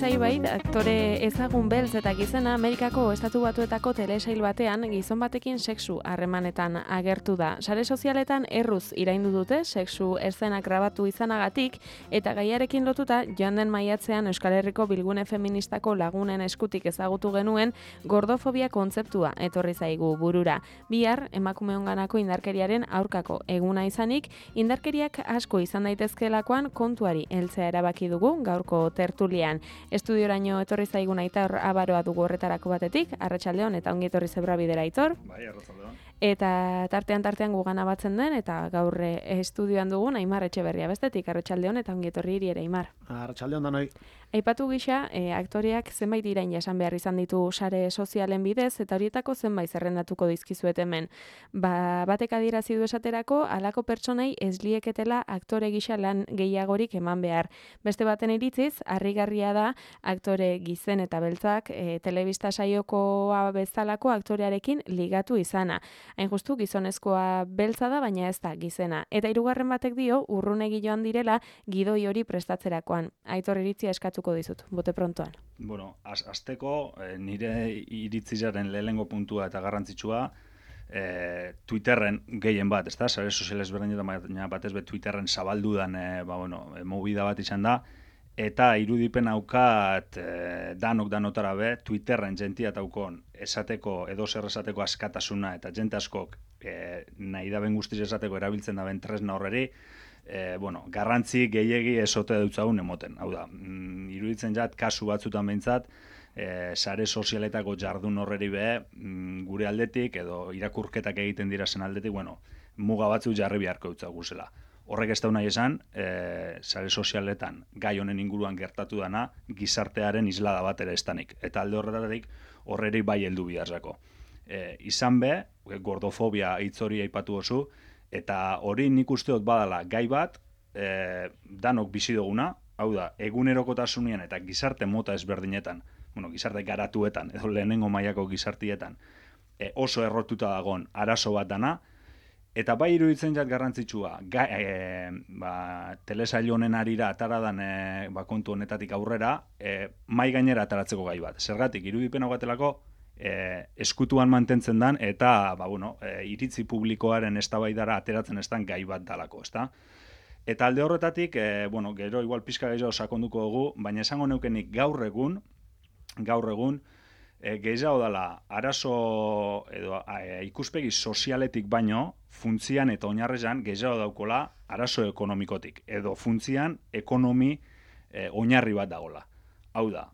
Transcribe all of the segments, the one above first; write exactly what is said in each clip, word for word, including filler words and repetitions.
Zaibait, aktore ezagun beltz eta gizena Amerikako Estatu Batuetako telesail batean gizon batekin sexu harremanetan agertu da. Sare sozialetan erruz iraindu dute sexu eszenak grabatu izanagatik eta gaiarekin lotuta joan den maiatzean Euskal Herriko Bilgune Feministako lagunen eskutik ezagutu genuen gordofobia kontzeptua etorri zaigu burura. Bihar emakumeonganako indarkeriaren aurkako eguna izanik, indarkeriak asko izan daitezkeelakoan kontuari heltzea erabaki dugu gaurko tertulian. Estudioraino etorri zaigun Aitor Abaroa dugu horretarako batetik, arratsaldeon eta ongi etorri zebra bidera Aitor. Bai, arratsaldeon. Eta tartean tartean gugana batzen den eta gaur estudioan dugun Aimar Etxeberria bestetik, arratsaldeon eta ongi etorri hiri ere Aimar. Arratsaldeon danoi. Aipatu gisa, e, aktoreak zenbait irain jasan behar izan ditu sare sozialen bidez eta horietako zenbait zerrendatuko dizkizuet hemen. Ba, batek adierazi du esaterako halako pertsonei ez lieketela aktore gisa lan gehiagorik eman behar. Beste baten iritziz, harrigarria da aktore gizen eta beltzak e, telebista saiokoa bezalako aktorearekin ligatu izana. Hain justu gizonezkoa beltza da, baina ez da gizena. Eta hirugarren batek dio urrunegi joan direla gidoi hori prestatzerakoan. Aitor iritzia eskatuko dizut, bote prontoan. Bueno, az, azteko eh, nire iritzizaren lehenengo puntua eta garrantzitsua eh, Twitterren gehien bat, ezta? Sare sozial ezberdinetan, baina batez be Twitterren zabaldudan eh, ba, bueno, movida bat izan da, eta irudipen aukat eh, danok danotara be, Twitterren jentia taukon esateko, edo zer esateko askatasuna, eta jente askok eh, nahi daben guztiz esateko erabiltzen daben tresna horreri, E, bueno, garrantzi gehiegi esote dutzagun emoten. Hau da, mm, iruditzen jat, kasu batzutan behintzat, e, sare sozialetako jardun horreri be, mm, gure aldetik, edo irakurketak egiten dira zen aldetik, bueno, muga batzu jarri beharko dutzagu zela. Horrek ez da nahi esan, e, sare sozialetan gai honen inguruan gertatu dana, gizartearen islada bat ere estanik. Eta alde horretatik horreri bai heldu biharzako. E, izan be, gordofobia hitz hori aipatu oso, eta hori nik uste dut badala gai bat, e, danok bizi duguna, hau da, egunerokotasunean eta gizarte mota ezberdinetan, bueno, gizarte garatuetan, edo lehenengo mailako gizartietan, e, oso errotuta dagoen arazo bat dana, eta bai iruditzen jat garrantzitsua, gai, e, ba, telesail honen arira ataradan e, ba, kontu honetatik aurrera, e, mai gainera ataratzeko gai bat. Zergatik, irudipen hau batelako, E, eskutuan mantentzen dan eta ba, bueno, e, iritzi publikoaren eztabaidara ateratzen ez dan gai bat dalako, ezta? Eta alde horretatik, e, bueno, gero igual pizka gehiago sakonduko dugu, baina esango neukenik gaur egun, gaur egun, e, gehiago dela arazo edo e, ikuspegi sozialetik baino, funtzian eta oinarrezan gehiago daukola arazo ekonomikotik, edo funtzian ekonomi e, oinarri bat dagola. Hau da,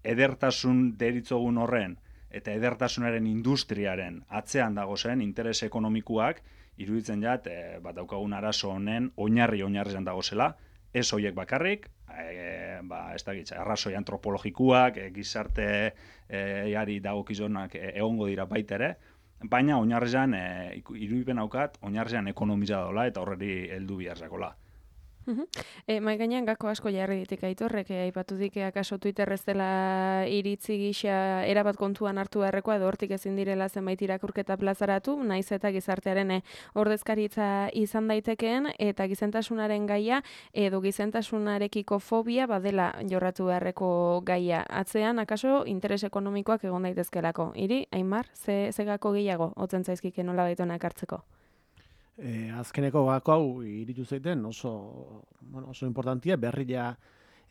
edertasun deritzogun horren, eta edertasunaren industriaren atzean dago zen interes ekonomikoak, iruditzen jat, e, bat daukagun arazo honen oinarri oinarrian dago zela, ez hoiek bakarrik, e, ba, ez da gitza, arrazoi antropologikoak, e, gizarte e, jari dagokizonak e, egongo dira baita ere, baina oinarrian, e, irudipen aukat, oinarrian ekonomiza dola eta horreri heldu biharzakola. Uh-huh. E, mai gainean gako asko jarri ditik Aitorrek, e, aipatu dike akaso Twitter ez dela iritzi gisa erabat kontuan hartu beharrekoa edo hortik ezin direla zenbait irakurketa plazaratu, naiz eta gizartearen e, ordezkaritza izan daitekeen eta gizentasunaren gaia edo gizentasunarekiko fobia badela jorratu beharreko gaia. Atzean akaso interes ekonomikoak egon daitezkelako. Hiri, Aimar, ze, ze gako gehiago otzen zaizkike nola baitona ekartzeko? E, azkeneko gako hau iritu zeiten oso, bueno, oso importantia, berria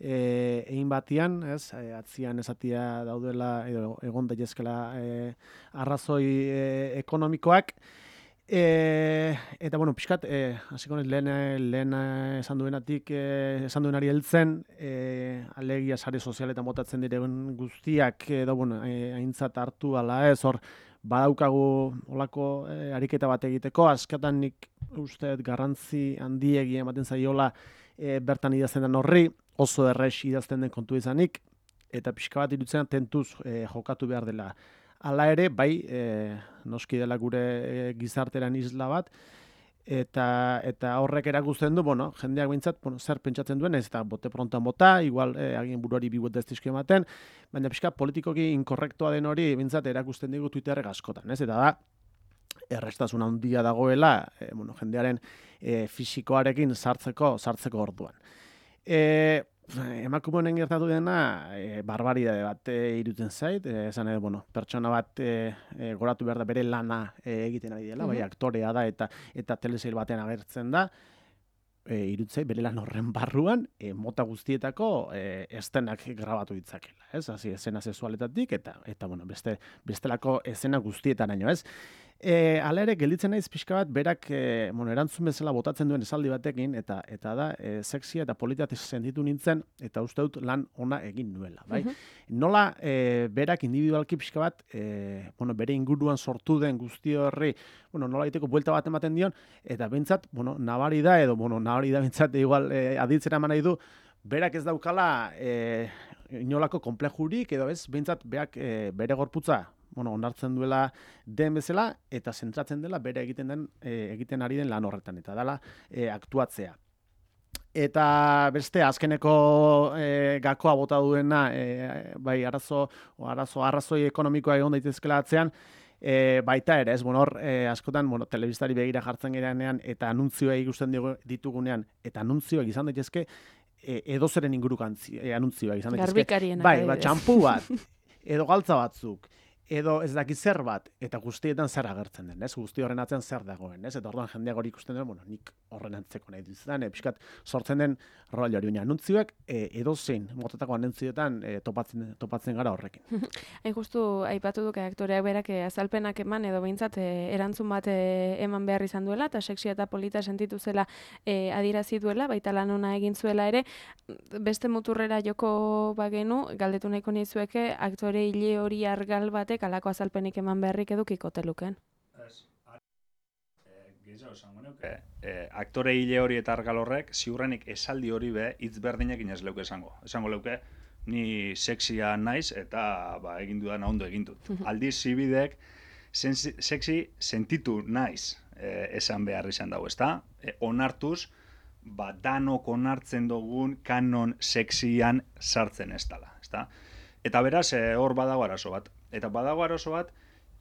e, egin batian, ez, e, atzian esatia daudela edo egon daitezkela e, arrazoi e, ekonomikoak. E, eta, bueno, pixkat, e, hasiko naiz lehen, lehen esan duenatik, e, esan duenari heltzen, e, alegia sare sozialetan botatzen diren guztiak, edo, bueno, e, aintzat hartu ala ez, hor, badaukagu olako e, ariketa bat egiteko, askatan nik uste garrantzi handiegia ematen zaiola e, bertan idazten den horri, oso errex idazten den kontu izanik, eta pixka bat irutzen tentuz e, jokatu behar dela. Hala ere, bai, e, noski dela gure e, gizarteran isla bat, eta eta horrek erakusten du, bueno, jendeak behintzat, bueno, zer pentsatzen duen, ez eta bote prontan bota, igual e, agien buruari bibuet ez dizkio ematen, baina pixka politikoki inkorrektoa den hori behintzat erakusten digu Twitterrek askotan, ez? Eta da, errestasun handia dagoela, e, bueno, jendearen e, fisikoarekin sartzeko, sartzeko orduan. E, emakume honen gertatu dena e, barbaridade bat e, irutzen zait, e, esan edo, bueno, pertsona bat e, e, goratu behar da bere lana e, egiten ari dela, bai, aktorea da eta eta telesail batean agertzen da, e, irutzei bere lan horren barruan e, mota guztietako e, estenak grabatu ditzakela, ez? Hasi esena sexualetatik eta eta bueno, beste bestelako esena guztietaraino, ez? E, ala ere, gelditzen naiz pixka bat, berak e, bueno, erantzun bezala botatzen duen esaldi batekin, eta eta da, e, sexia eta politatez sentitu nintzen, eta uste dut lan ona egin nuela. Bai? Uh-huh. Nola e, berak individualki pixka bat, e, bueno, bere inguruan sortu den guzti horri, bueno, nola egiteko buelta bat ematen dion, eta bentsat, bueno, nabari da, edo, bueno, nabari da bentsat, igual, e, aditzera eman nahi du, berak ez daukala e, inolako komplejurik, edo ez, bentsat, berak e, bere gorputza, bueno, onartzen duela den bezala eta zentratzen dela bere egiten den e, egiten ari den lan horretan eta dela e, aktuatzea. Eta beste azkeneko e, gakoa bota duena e, bai arazo o arazo arrazoi ekonomikoa egon daitezkeela atzean, e, baita ere, ez bueno, hor e, askotan, bueno, telebistari begira jartzen gerenean eta anuntzioa ikusten ditugunean eta anuntzioak izan daitezke e, edozeren inguruko e, anuntzioak izan daitezke. Garbikarienak. Bai, ba txanpu bat edo galtza batzuk. Edo ez daki zer bat, eta guztietan zer agertzen den, ez? Guzti horren atzean zer dagoen, ez? Eta orduan jendeak hori ikusten duen, bueno, nik horren antzeko nahi duzudan, e, pixkat sortzen den rol hori, baina anuntziak e, edo zein, motetako anuntzioetan e, topatzen, topatzen gara horrekin. Hain justu, aipatu duke aktoreak berak azalpenak eman, edo behintzat e, erantzun bat e, eman behar izan duela, eta sexia eta polita sentitu zela e, adierazi duela, baita lan ona egin zuela ere, beste muturrera joko bagenu, galdetu nahiko nizueke, aktore hile hori argal batek alako azalpenik eman beharrik edukiko teluken. Ez, gehiago esango nuke, e, aktore hile hori eta argal horrek, ziurrenik esaldi hori be, hitz berdinekin ez leuke esango. Esango leuke, ni sexia naiz eta ba, egin dudan ondo egin dut. Aldiz zibidek, sexi sentitu naiz e, esan behar izan dago, ezta? E, onartuz, ba, danok onartzen dugun kanon sexian sartzen ez dela, ezta? Eta beraz, e, hor badago arazo bat. Eta badago arazo bat,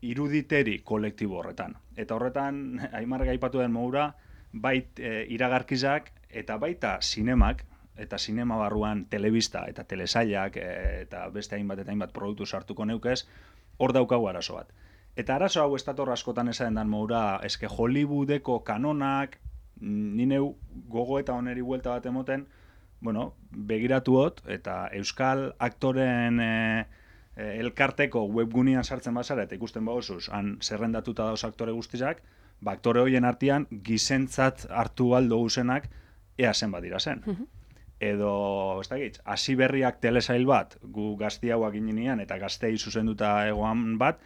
iruditeri kolektibo horretan. Eta horretan, Aimarrek aipatu den modura, bait e, iragarkizak eta baita zinemak, eta zinema barruan telebista eta telesailak e, eta beste hainbat eta hainbat produktu sartuko neukez, hor daukagu arazo bat. Eta arazo hau estator askotan esaten den modura, eske Hollywoodeko kanonak, nineu gogo eta oneri buelta bat emoten, bueno, begiratuot, eta euskal aktoren e, elkarteko webgunean sartzen bazara eta ikusten bagozuz, han zerrendatuta dauz aktore guztizak, ba, aktore horien artean gizentzat hartu aldo guzenak ea zenbat dira zen. Edo, ez da gitz, hasi berriak telesail bat, gu gazti hauak ginean eta gaztei zuzenduta egoan bat,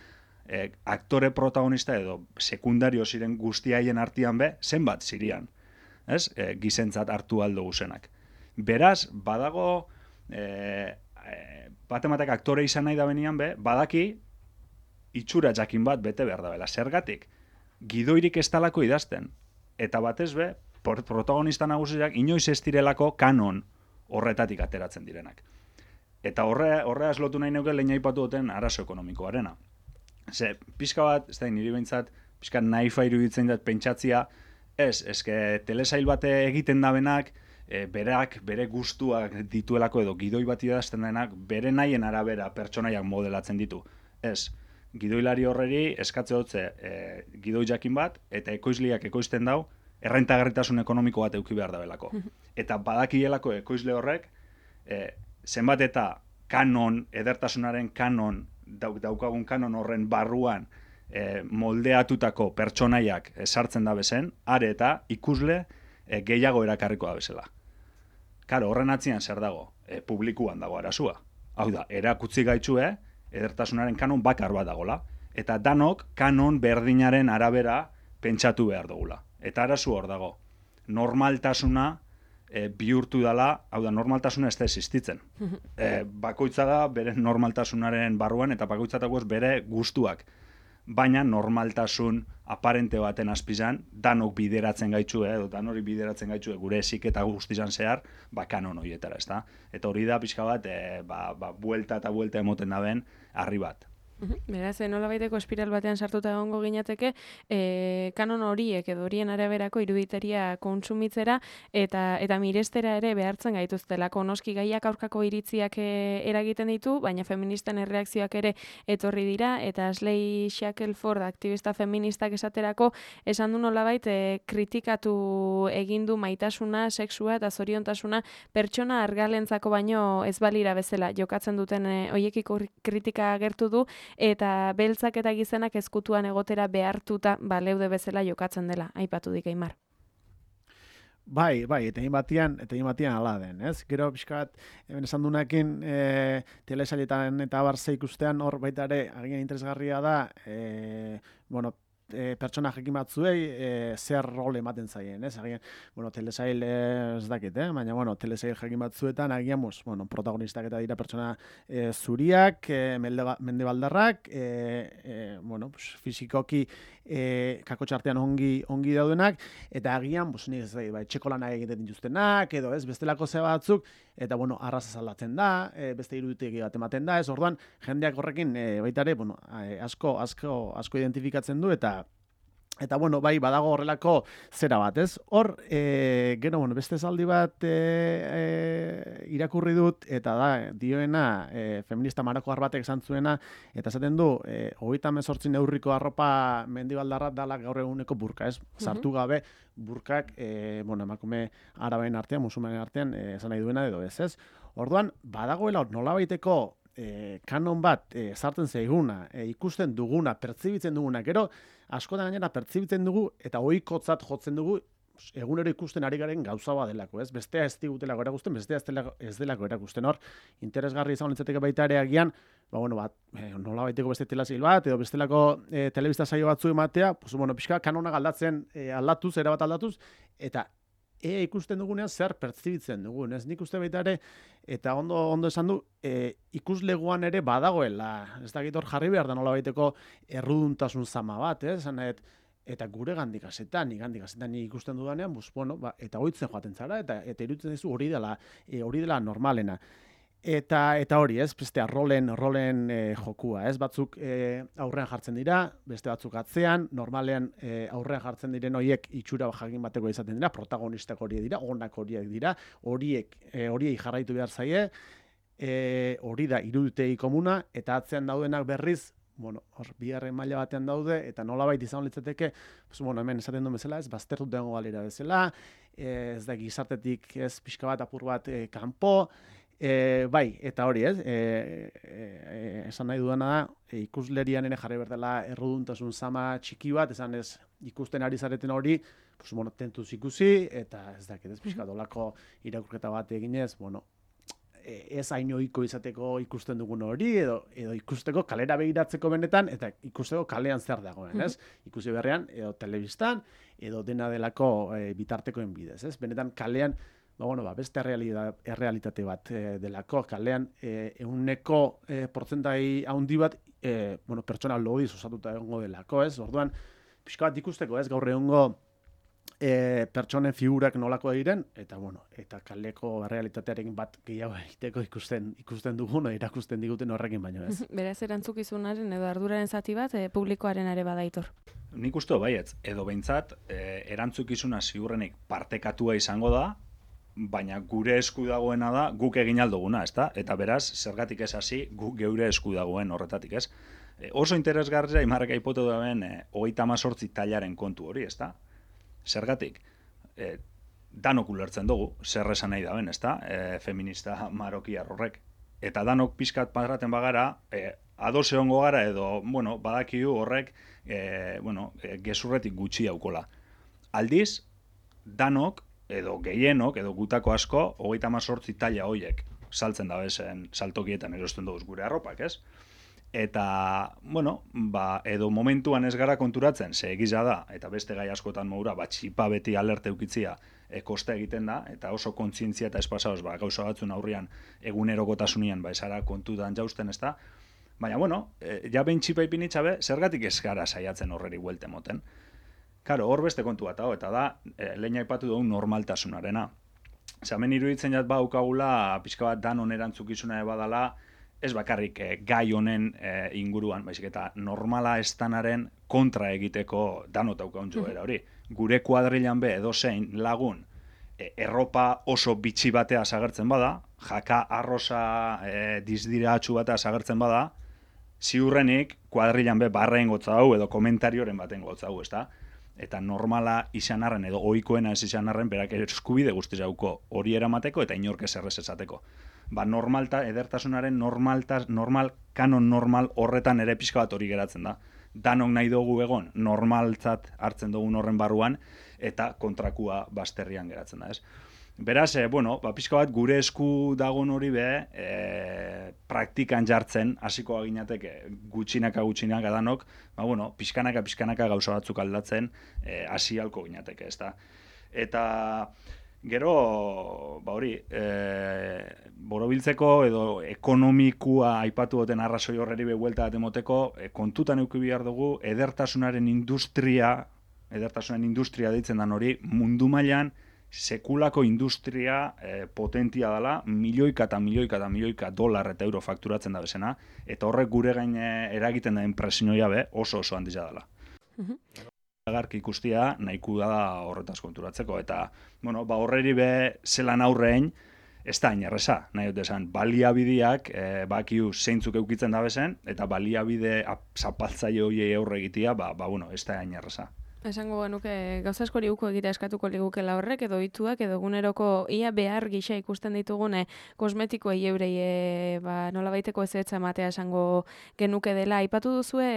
e, aktore protagonista edo sekundario ziren guztiaien artean be, zenbat zirian, ez? E, gizentzat hartu aldo guzenak. Beraz, badago, e, batematek aktore izan nahi da benian be, badaki itxura jakin bat bete behar da bela. Zergatik, gidoirik ez talako idazten. Eta batez be, protagonista nagusiak inoiz ez direlako kanon horretatik ateratzen direnak. Eta horre, horreaz lotu nahi neuke lehen aipatu duten arazo ekonomikoarena. Ze, pixka bat, ez da, niri behintzat, pixka naifa iruditzen dut pentsatzia, ez, eske telesail bate egiten da benak, E, berak, bere gustuak dituelako edo gidoi bat idazten denak, bere nahien arabera pertsonaiak modelatzen ditu. Ez, gidoilari horreri eskatze dutze e, gidoi jakin bat, eta ekoizliak ekoizten dau, errentagarritasun ekonomiko bat eduki behar da belako. Eta badakielako ekoizle horrek, e, zenbat eta kanon, edertasunaren kanon, dauk, daukagun kanon horren barruan, e, moldeatutako pertsonaiak sartzen da bezen, are eta ikusle e, gehiago erakarriko da bezala. Karo, horren atzian zer dago? E, publikuan dago arazua. Hau da, erakutzi gaitxue, edertasunaren kanon bakar bat dagola. Eta danok kanon berdinaren arabera pentsatu behar dugula. Eta arazu hor dago. Normaltasuna e, bihurtu dela, hau da, normaltasuna ez da existitzen. E, bakoitza da bere normaltasunaren barruan eta bakoitzatako ez bere gustuak. Baina normaltasun aparente baten azpizan, danok bideratzen gaitxue, edo danori bideratzen gaitxue gure eziketa guztizan zehar, ba, kanon horietara, ez da? Eta hori da pixka bat, e, ba, ba, buelta eta buelta emoten daben, harri bat. Beraz, nola baiteko espiral batean sartuta egongo ginateke, e, kanon horiek edo horien araberako iruditeria kontsumitzera eta eta mirestera ere behartzen gaituztelako. Noski gaiak aurkako iritziak e, eragiten ditu, baina feministen erreakzioak ere etorri dira, eta Ashley Shackelford, aktivista feministak esaterako, esan du nolabait e, kritikatu egin du maitasuna, sexua eta zoriontasuna pertsona argalentzako baino ez balira bezala jokatzen duten e, hoiekiko kritika agertu du, eta beltzak eta gizenak ezkutuan egotera behartuta baleude bezala jokatzen dela, aipatu dik Aimar. Bai, bai, eta egin batian, eta egin batian ala den, ez? Gero pixkat, hemen esan dunekin, e, telesailetan eta barze ikustean hor baita ere, agian interesgarria da, e, bueno, E, pertsona jakin batzuei e, zer rol ematen zaien, ez? Agian, bueno, telesail ez dakit, eh? Baina, bueno, telesail jakin batzuetan, agian, pues, bueno, protagonistak eta dira pertsona e, zuriak, e, mendebaldarrak, e, e, bueno, pues, fizikoki e, kakotxartean ongi, ongi daudenak, eta agian, pues, nik ez da, ba, etxeko lana egiten dituztenak, edo ez, bestelako ze batzuk, eta, bueno, arraza zaldatzen da, e, beste iruditegi bat ematen da, ez, orduan, jendeak horrekin, e, baita ere, bueno, asko, asko, asko identifikatzen du, eta Eta, bueno, bai, badago horrelako zera bat, ez? Hor, e, gero, bueno, beste zaldi bat e, e, irakurri dut, eta da, dioena, e, feminista marokoar batek esan zuena, eta esaten du, e, hogeita hemezortzi neurriko arropa mendibaldarra dala gaur eguneko burka, ez? Sartu gabe, burkak, e, bueno, emakume araben artean, musulmanen artean, e, esan nahi duena edo ez, ez? Orduan, badagoela nolabaiteko E, kanon bat e, sartzen zaiguna, e, ikusten duguna, pertsibitzen duguna, gero askotan gainera pertsibitzen dugu eta ohikotzat jotzen dugu egunero ikusten ari garen gauza bat delako, ez? Bestea ez digutelako erakusten, bestea ez delako, ez delako erakusten hor, interesgarri izan litzateke baita ere agian, ba, bueno, bat, e, nola baiteko beste telesail bat, edo bestelako e, telebista saio batzu ematea, pues, bueno, pixka kanona aldatzen, e, aldatuz, erabat aldatuz, eta e ikusten dugunean zer pertsibitzen dugun, ez? Nik uste baita ere, eta ondo ondo esan du, e, ikusleguan ere badagoela, ez dakit hor jarri behar da nola baiteko erruduntasun zama bat, ez? Zanet, eta gure gandik asetan, gandik asetan ikusten dudanean, bus, bueno, ba, eta hoitzen joaten zara, eta eta iruditzen dizu hori dela, e, hori dela normalena. Eta eta hori, ez, bestea rolen rolen e, jokua, ez, batzuk e, aurrean jartzen dira, beste batzuk atzean, normalean e, aurrean jartzen diren horiek itxura jakin bateko izaten dira, protagonistak horiek dira, onak horiek dira, horiek e, horiei jarraitu behar zaie, e, hori da iruditegi komuna, eta atzean daudenak berriz, bueno, hor bigarren maila batean daude, eta nolabait izan litzateke, pues, bueno, hemen esaten duen bezala, ez, baztertut dengo galera bezala, ez da gizartetik ez pixka bat apur bat e, kanpo, E, bai, eta hori, ez? E, e, e, esan nahi dudana da, e, ikuslerian ere jarri berdela erruduntasun zama txiki bat, esan ez ikusten ari zareten hori, pues, bueno, tentuz ikusi, eta ez dakit, ez pixka dolako irakurketa bat eginez, bueno, e, ez hain ohiko izateko ikusten dugun hori, edo, edo ikusteko kalera begiratzeko benetan, eta ikusteko kalean zer dagoen, ez? Ikusi berrean, edo telebistan, edo dena delako e, bitartekoen bidez, ez? Benetan kalean, ba, bueno, ba, beste errealitate, errealitate bat e, delako, kalean e, euneko e, portzentai handi bat e, bueno, pertsona lodiz osatuta egongo delako, ez? Orduan, pixka bat ikusteko, ez? Gaur egongo e, pertsonen figurak nolako diren, eta, bueno, eta kaleko errealitatearekin bat gehiago egiteko ikusten ikusten dugun, irakusten diguten horrekin baino, ez? Beraz, erantzukizunaren edo arduraren zati bat e, publikoaren ere badaitor. Nik uste baietz, edo behintzat, e, erantzukizuna ziurrenik partekatua izango da, baina gure esku dagoena da guk egin alduguna, ezta? Eta beraz, zergatik ez hasi, guk geure esku dagoen horretatik, ez? E, oso interesgarria Aimarrek aipatu duen e, hogeita hemezortzi tailaren kontu hori, ezta? Zergatik, e, danok ulertzen dugu, zer esan nahi daben, ezta? E, feminista marokiar horrek. Eta danok pixkat padraten bagara, e, ados egongo gara edo, bueno, badakigu horrek, e, bueno, e, gezurretik gutxi aukola. Aldiz, danok, edo gehienok, edo gutako asko, hogeita hemezortzi taila hoiek saltzen da bezen saltokietan erosten dugu gure arropak, ez? Eta, bueno, ba, edo momentuan ez gara konturatzen, ze egiza da, eta beste gai askotan moura, ba, txipa beti alerte eukitzia e, kosta egiten da, eta oso kontzientzia eta espasaoz, ba, gauza batzun aurrian egunerokotasunean, ba, esara kontutan jausten ez da. Baina, bueno, e, ja behin txipa ipinitxabe, zergatik ez gara saiatzen horreri buelte moten. Karo, hor beste kontu bat, hau, eta da, e, lehen aipatu dugu normaltasunarena. Zamen iruditzen jat ba, ukagula, pixka bat danon erantzukizuna badala, ez bakarrik eh, gai honen eh, inguruan, baizik eta normala estanaren kontra egiteko danot daukaguntzu era hori. Gure kuadrilan be edozein lagun eh, erropa oso bitxi batea sagertzen bada, jaka arrosa eh, dizdiratxu batea sagertzen bada, ziurrenik kuadrilan be barren gotzau edo komentarioren baten gotzau, ezta? Eta normala izan arren edo ohikoena ez izan arren berak eskubide guztiz dauko hori eramateko eta inork ez errez esateko. Ba, normalta, edertasunaren normaltas, normal, kanon normal horretan ere pixka bat hori geratzen da. Danok nahi dugu egon, normaltzat hartzen dugun horren barruan, eta kontrakua basterrian geratzen da, ez? Beraz, e, bueno, ba, pixka bat gure esku dagon hori be, e, praktikan jartzen, hasiko aginateke gutxinaka gutxinaka danok, ba, bueno, pixkanaka pixkanaka gauza batzuk aldatzen, hasi e, halko ginateke, ez da? Eta gero, ba hori, e, borobiltzeko edo ekonomikua aipatu duten arrazoi horreri behuelta bat emoteko, e, kontutan euki behar dugu, edertasunaren industria, edertasunaren industria deitzen dan hori, mundu mailan sekulako industria e, potentia dela, milioika eta milioika eta milioika dolar eta euro fakturatzen da bezena, eta horrek gure gain eragiten da enpresioia be oso oso handia dela. Uh-huh. Agarki ikustia nahiko da horretaz konturatzeko, eta bueno, ba horreri be zelan aurrein, ez da inerreza, nahi dut esan, baliabideak e, bakiu zeintzuk eukitzen da bezen, eta baliabide zapaltzaile horiei aurre egitea, ba, ba bueno, ez da inerreza. Esango genuke gauza askori uko egitea eskatuko ligukela horrek, edo ohituak edo eguneroko ia behar gisa ikusten ditugune kosmetikoei eurei e, ba, nolabaiteko ezetza ematea esango genuke dela. Aipatu duzue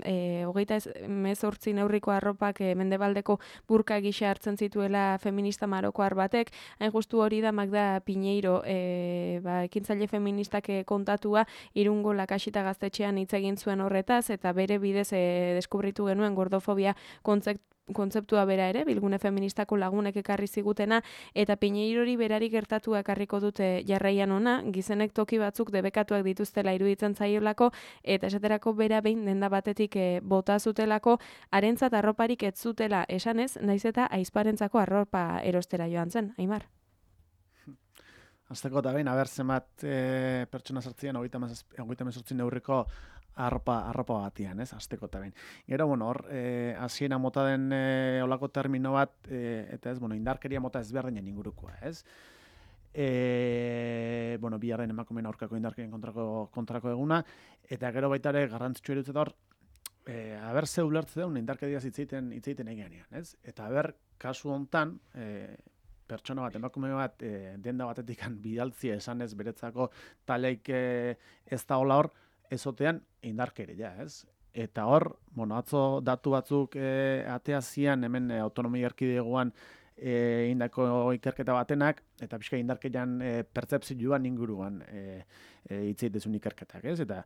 e, hogeita hemezortzi neurriko arropak e, mendebaldeko burka gisa hartzen zituela feminista marokoar batek, hain justu hori da Magda Piñeiro e, ba, ekintzaile feministak kontatua Irungo Lakasita gaztetxean hitz egin zuen horretaz, eta bere bidez e, deskubritu genuen gordofobia kontzeptu kontzeptua bera ere, bilgune feministako lagunek ekarri zigutena, eta Piñeirori berari gertatu ekarriko dute jarraian ona, gizenek toki batzuk debekatuak dituztela iruditzen zaiolako, eta esaterako bera behin denda batetik e, bota zutelako, harentzat arroparik ez zutela esanez, naiz eta aizparentzako arropa erostera joan zen, Aimar. Azteko eta behin, haber zenbat e, pertsona sartzien, hogeita hemezortzi neurriko arropa, arropa batian, ez, azteko eta behin. Gero, bueno, hor, e, hasiera mota den e, olako termino bat, e, eta ez, bueno, indarkeria mota ezberdinen ingurukoa, ez? E, bueno, biharren emakumeen aurkako indarkerien kontrako, kontrako eguna, eta gero baita ere garrantzitsu erutzet hor, e, haber ze ulertze deun indarkeria hitzeiten hitzeiten egianean, ez? Eta haber, kasu hontan, e, pertsona bat, emakume bat, e, denda batetik bidaltzia esanez beretzako taleik e, ez da hola hor, ezotean indarkeria, ez? Eta hor, bueno, atzo datu batzuk e, atea zian hemen e, autonomia erkidegoan e, indako ikerketa batenak, eta pixka indarkerian e, pertzepzioan inguruan e, e, hitzeitezun ikerketak, ez? Eta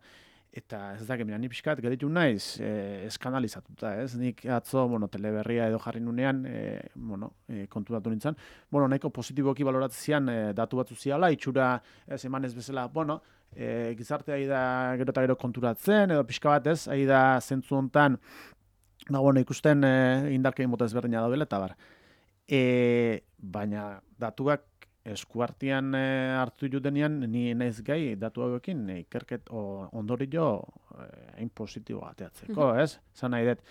eta ez dakit, mira, ni pixkat geditu naiz e, eskandalizatuta, ez? Nik atzo, bueno, teleberria edo jarri nunean, e, bueno, e, kontutatu nintzen, bueno, nahiko positiboki baloratzean e, datu batzu ziala, itxura ez emanez bezala, bueno, E, gizartea ari da gero eta gero konturatzen, edo pixka bat ez, ari da zentzu hontan, ba, bueno, ikusten e, indarkein mota ezberdina daudela, eta bar. E, baina datuak eskuartian e, hartu jutenean, ni naiz gai datu hauekin e, ikerket ondorio hain e, positibo ateatzeko, mm-hmm. ez? Zan nahi dut,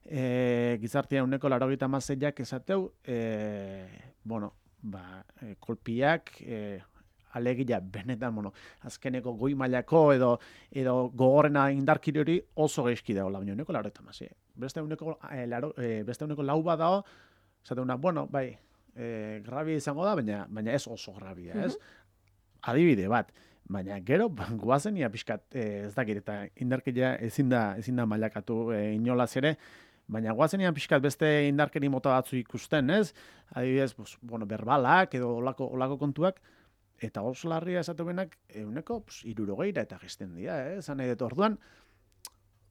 e, gizartea uneko laurogeita hamaseiak esateu, e, bueno, ba, e, kolpiak, e, alegia benetan, bueno, azkeneko goi mailako edo edo gogorrena indarkiri hori oso gaizki dagoela, baina uneko laurogeita hamasei. Beste uneko e, laro, e, beste uneko lau bat dago, zateuna, bueno, bai, e, grabia izango da, baina baina ez oso grabia, ez? Mm-hmm. Adibide bat, baina gero goazen ia pixkat e, ez dakit eta indarkeria ezin da ezin da mailakatu e, inolaz ere. Baina guazenian pixkat beste indarkeri mota batzu ikusten, ez? Adibidez, pues, bueno, berbalak edo olako, olako kontuak, eta oso larria esatu benak, euneko irurogeira eta gizten dira, eh? Zan nahi dut orduan,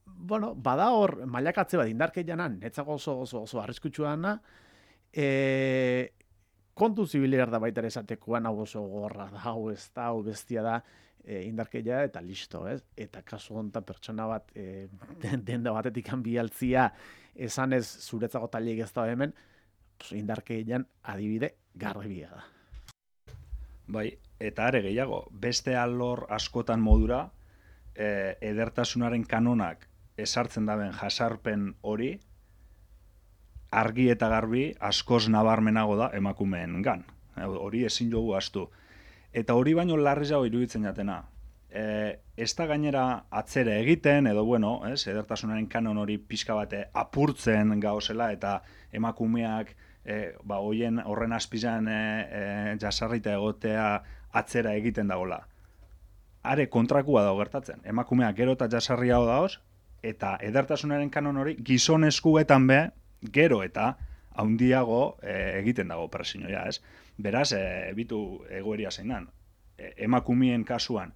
bueno, bada hor, mailakatze bat indarkeianan, netzako oso, oso, oso arriskutsua dana, e, kontu zibilear da baita ere esatekoan, hau oso gorra da, hau ez da, hau bestia da, e, indarkeia eta listo, ez? Eta kasu honetan pertsona bat, e, denda batetik bialtzia, esan ez zuretzako taliek ez da hemen, pues, indarkeian adibide garbia da. Bai, eta are gehiago, beste alor askotan modura, e, edertasunaren kanonak esartzen daben jasarpen hori, argi eta garbi askoz nabarmenago da emakumeen gan. Hori ezin jogu astu. Eta hori baino larriago iruditzen jatena. E, ez da gainera atzera egiten, edo bueno, ez, edertasunaren kanon hori pixka bate apurtzen gauzela, eta emakumeak e, ba, hoien horren azpizan e, e, jasarrita egotea atzera egiten dagoela. Are kontrakua dago gertatzen. Emakumeak gero eta jasarriago dagoz, eta edertasunaren kanon hori gizonezkuetan be, gero eta haundiago e, egiten dago presioa, ez? Beraz, e, bitu egoeria zeinan. E, emakumeen kasuan,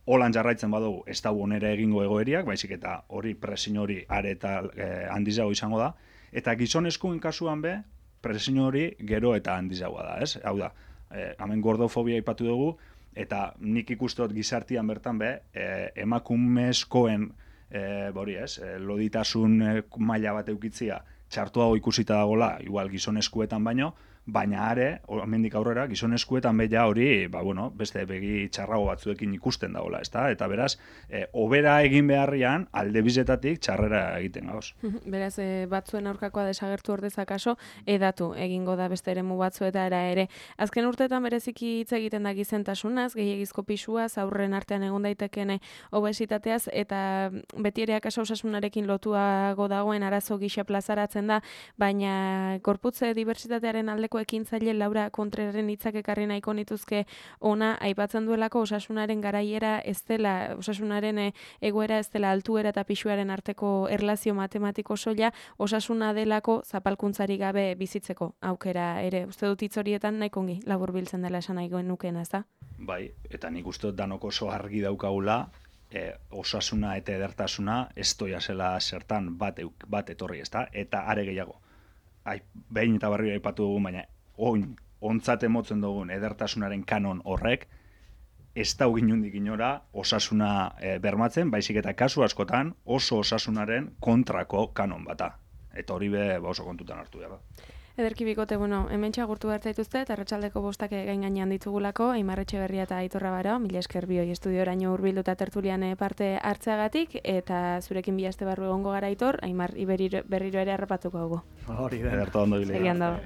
holan jarraitzen badugu, ez da onera egingo egoeriak, baizik eta hori presio hori are eta e, handizago izango da, eta gizonezkuen kasuan be, presio hori gero eta handizagoa da, ez? Hau da, e, hemen gordofobia aipatu dugu, eta nik ikuste dut gizartian bertan be, e, emakumezkoen e, bori ez, e, loditasun e, maila bat eukitzia, txartuago ikusita dagola, igual gizonezkuetan baino, baina are, hemendik aurrera, gizonezkuetan beha hori, ba, bueno, beste begi txarrago batzuekin ikusten dagoela, ezta? Eta beraz, e, obera egin beharrian, alde bizetatik txarrera egiten gauz. Beraz, e, batzuen aurkakoa desagertu ordezak aso, edatu egingo da beste eremu batzuetara ere. Azken urteetan bereziki hitz egiten da gizentasunaz, gehiagizko pisuaz, aurren artean egon daitekene obesitateaz, eta beti ere akaso osasunarekin lotuago dagoen arazo gisa plazaratzen da, baina gorputze diversitatearen aldeko ekintzaile Laura Kontreraren hitzak ekarri nahiko nituzke ona aipatzen duelako osasunaren garaiera ez dela, osasunaren egoera ez dela altuera eta pisuaren arteko erlazio matematiko soila, osasuna delako zapalkuntzari gabe bizitzeko aukera ere. Uste dut hitz horietan nahiko ongi laburbiltzen dela esan nahi nukeena, ez da? Bai, eta nik uste dut danok oso argi daukagula, e, osasuna eta edertasuna ez doia zela zertan bat, bat etorri, ez da? Eta are gehiago. Ai, behin eta barri aipatu dugu, baina oin, ontzat emotzen dugun edertasunaren kanon horrek, ez da ginundik inora osasuna e, bermatzen, baizik eta kasu askotan oso osasunaren kontrako kanon bata. Eta hori be ba oso kontutan hartu da. Ederki bikote, bueno, hemen txagurtu behar zaituzte, eta arratsaldeko bostak gain gainean ditugulako, Aimar Etxeberria eta Aitorra Baro, mila esker bioi estudioraino hurbildu eta tertulian parte hartzeagatik, eta zurekin bi aste barru egongo gara Aitor, Aimar berriro ere harrapatuko dugu. Hori da. Ederto ondo bilia.